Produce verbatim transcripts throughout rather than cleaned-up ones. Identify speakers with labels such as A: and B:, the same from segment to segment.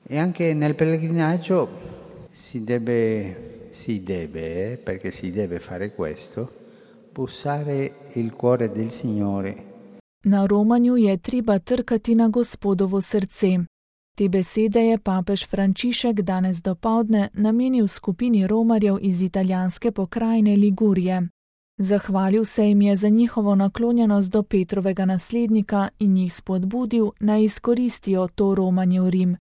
A: E anche nel pellegrinaggio si deve, si deve, eh, perché si deve fare questo, bussare il cuore del Signore.
B: Na romanju je treba trkati na Gospodovo srce. Te besede je papež Frančišek danes dopoldne namenil skupini romarjev iz italijanske pokrajine Ligurije. Zahvalil se jim je za njihovo naklonjenost do Petrovega naslednika in jih spodbudil, naj izkoristijo to romanje v Rim.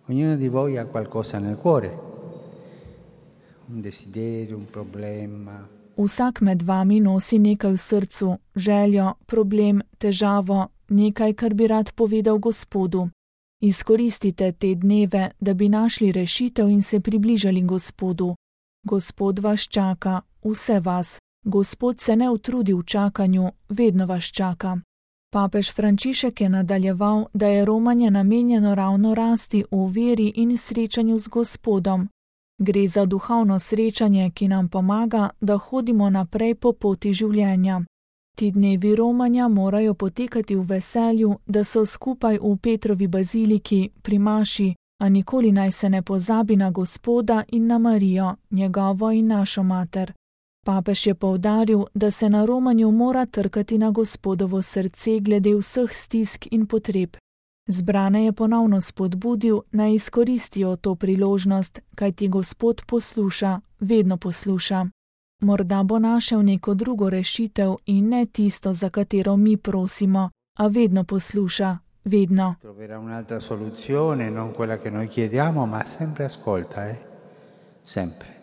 A: Ognuno di voi ha qualcosa nel cuore, un desiderio, un problema.
B: Vsak med vami nosi nekaj v srcu, željo, problem, težavo, nekaj, kar bi rad povedal Gospodu. Izkoristite te dneve, da bi našli rešitev in se približali Gospodu. Gospod vas čaka, vse vas. Gospod se ne utrudi v čakanju, vedno vas čaka. Papež Frančišek je nadaljeval, da je romanje namenjeno ravno rasti v veri in srečanju z Gospodom. Gre za duhovno srečanje, ki nam pomaga, da hodimo naprej po poti življenja. Ti dnevi romanja morajo potekati v veselju, da so skupaj v Petrovi baziliki pri maši, a nikoli naj se ne pozabi na Gospoda in na Marijo, njegovo in našo mater. Papež je poudaril, da se na romanju mora trkati na Gospodovo srce glede vseh stisk in potreb. Zbrane je ponovno spodbudil, naj izkoristijo to priložnost, kajti Gospod posluša, vedno posluša. Morda bo našel neko drugo rešitev in ne tisto, za katero mi prosimo, a vedno posluša, vedno.
A: Troverà un'altra soluzione, non quella che noi chiediamo, ma sempre ascolta, eh? Sempre.